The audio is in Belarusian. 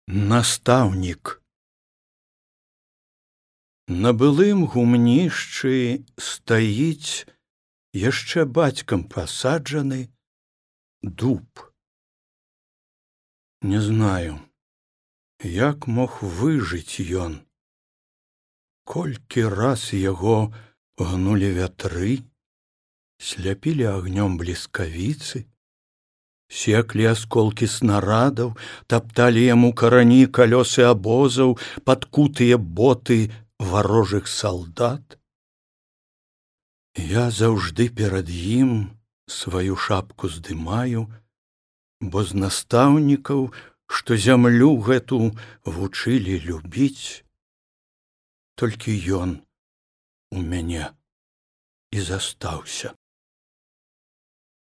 Настаўнік. На былым гумнішчы стаіць яшчэ бацькам пасаджаны дуб. Не знаю, як мог выжыць ён. Колькі раз яго гнулі вятры, сляпілі агнём бліскавіцы, секлі асколкі снарадаў, тапталі яму карані калёсы абозаў, падкутыя боты варожых салдат. Я заўжды перад ім сваю шапку здымаю, бо з настаўнікаў, што зямлю гэту вучылі любіць, толькі ён у мяне і застаўся.